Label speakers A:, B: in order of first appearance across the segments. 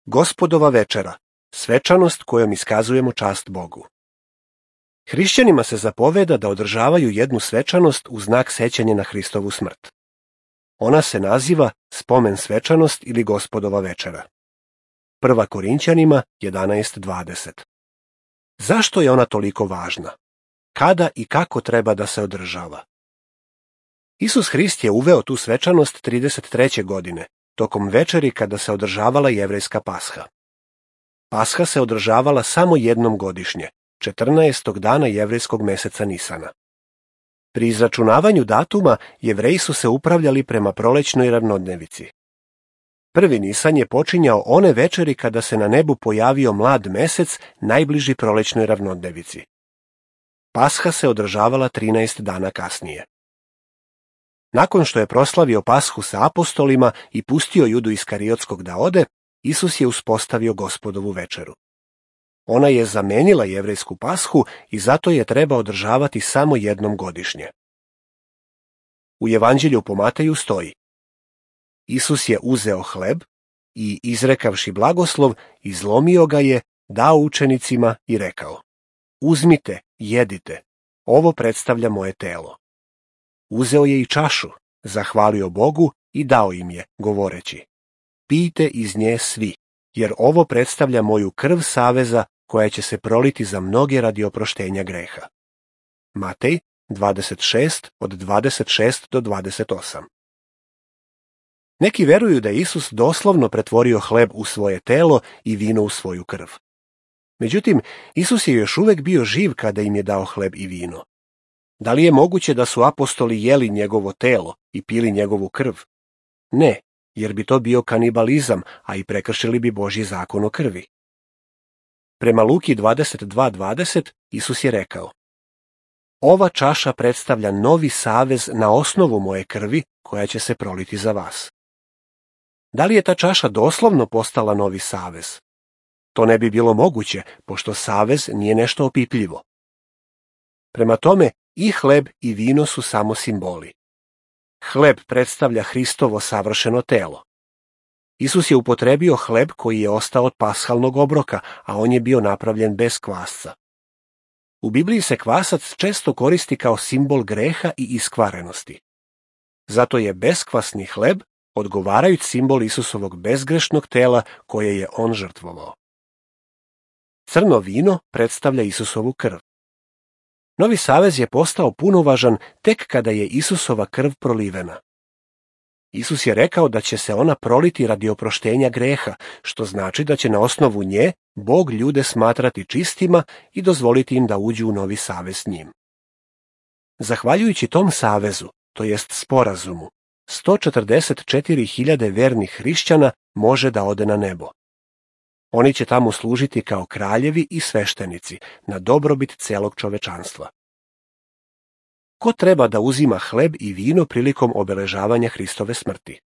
A: Gospodova večera, svečanost kojom iskazujemo čast Bogu. Hrišćanima se zapoveda da održavaju jednu svečanost u znak sećanja na Hristovu smrt. Ona se naziva spomen svečanost ili Gospodova večera. 1. Korinćanima 11:20. Zašto je ona toliko važna? Kada i kako treba da se održava? Isus Hrist je uveo tu svečanost 33. godine, tokom večeri kada se održavala jevrejska Pasha. Pasha se održavala samo jednom godišnje, 14. dana jevrejskog meseca Nisana. Pri izračunavanju datuma Jevreji su se upravljali prema prolećnoj ravnodnevici. Prvi Nisan je počinjao one večeri kada se na nebu pojavio mlad mesec najbliži prolećnoj ravnodnevici. Pasha se održavala 13 dana kasnije. Nakon što je proslavio Pashu sa apostolima i pustio Judu Iskariotskog da ode, Isus je uspostavio Gospodovu večeru. Ona je zamenila jevrejsku Pashu i zato je treba održavati samo jednom godišnje. U Evanđelju po Mateju stoji: Isus je uzeo hleb i, izrekavši blagoslov, izlomio ga je, dao učenicima i rekao: Uzmite, jedite, ovo predstavlja moje telo. Uzeo je i čašu, zahvalio Bogu i dao im je, govoreći: Pijte iz nje svi, jer ovo predstavlja moju krv saveza koja će se proliti za mnoge radi oproštenja greha. Matej 26 od 26 do 28. Neki veruju da je Isus doslovno pretvorio hleb u svoje telo i vino u svoju krv. Međutim, Isus je još uvek bio živ kada im je dao hleb i vino. Da li je moguće da su apostoli jeli njegovo telo i pili njegovu krv? Ne, jer bi to bio kanibalizam, a i prekršili bi Božji zakon o krvi. Prema Luki 22:20 Isus je rekao: Ova čaša predstavlja novi savez na osnovu moje krvi koja će se proliti za vas. Da li je ta čaša doslovno postala novi savez? To ne bi bilo moguće, pošto savez nije nešto opipljivo. Prema tome, i hleb i vino su samo simboli. Hleb predstavlja Hristovo savršeno telo. Isus je upotrebio hleb koji je ostao od pashalnog obroka, a on je bio napravljen bez kvasca. U Bibliji se kvasac često koristi kao simbol greha i iskvarenosti. Zato je beskvasni hleb odgovarajući simbol Isusovog bezgrešnog tela koje je on žrtvovao. Crno vino predstavlja Isusovu krv. Novi savez je postao punovažan tek kada je Isusova krv prolivena. Isus je rekao da će se ona proliti radi oproštenja greha, što znači da će na osnovu nje Bog ljude smatrati čistima i dozvoliti im da uđu u novi savez s njim. Zahvaljujući tom savezu, to jest sporazumu, 144.000 vernih hrišćana može da ode na nebo. Oni će tamo služiti kao kraljevi i sveštenici na dobrobit celog čovečanstva. Ko treba da uzima hleb i vino prilikom obeležavanja Hristove smrti?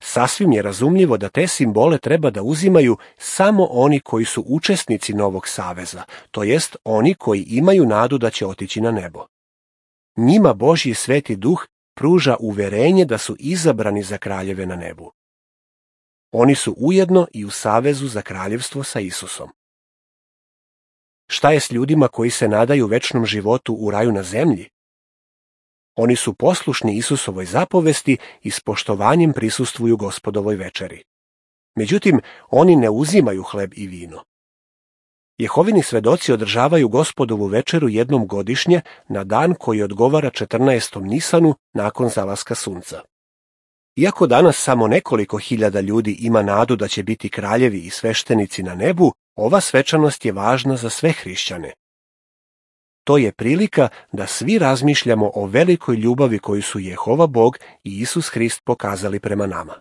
A: Sasvim je razumljivo da te simbole treba da uzimaju samo oni koji su učesnici novog saveza, to jest oni koji imaju nadu da će otići na nebo. Njima Božji Sveti Duh pruža uverenje da su izabrani za kraljeve na nebu. Oni su ujedno i u savezu za kraljevstvo sa Isusom. Šta je s ljudima koji se nadaju večnom životu u raju na zemlji? Oni su poslušni Isusovoj zapovesti i s poštovanjem prisustvuju Gospodovoj večeri. Međutim, oni ne uzimaju hleb i vino. Jehovini svedoci održavaju Gospodovu večeru jednom godišnje na dan koji odgovara 14. Nisanu nakon zalaska sunca. Iako danas samo nekoliko hiljada ljudi ima nadu da će biti kraljevi i sveštenici na nebu, ova svečanost je važna za sve hrišćane. To je prilika da svi razmišljamo o velikoj ljubavi koju su Jehova Bog i Isus Hrist pokazali prema nama.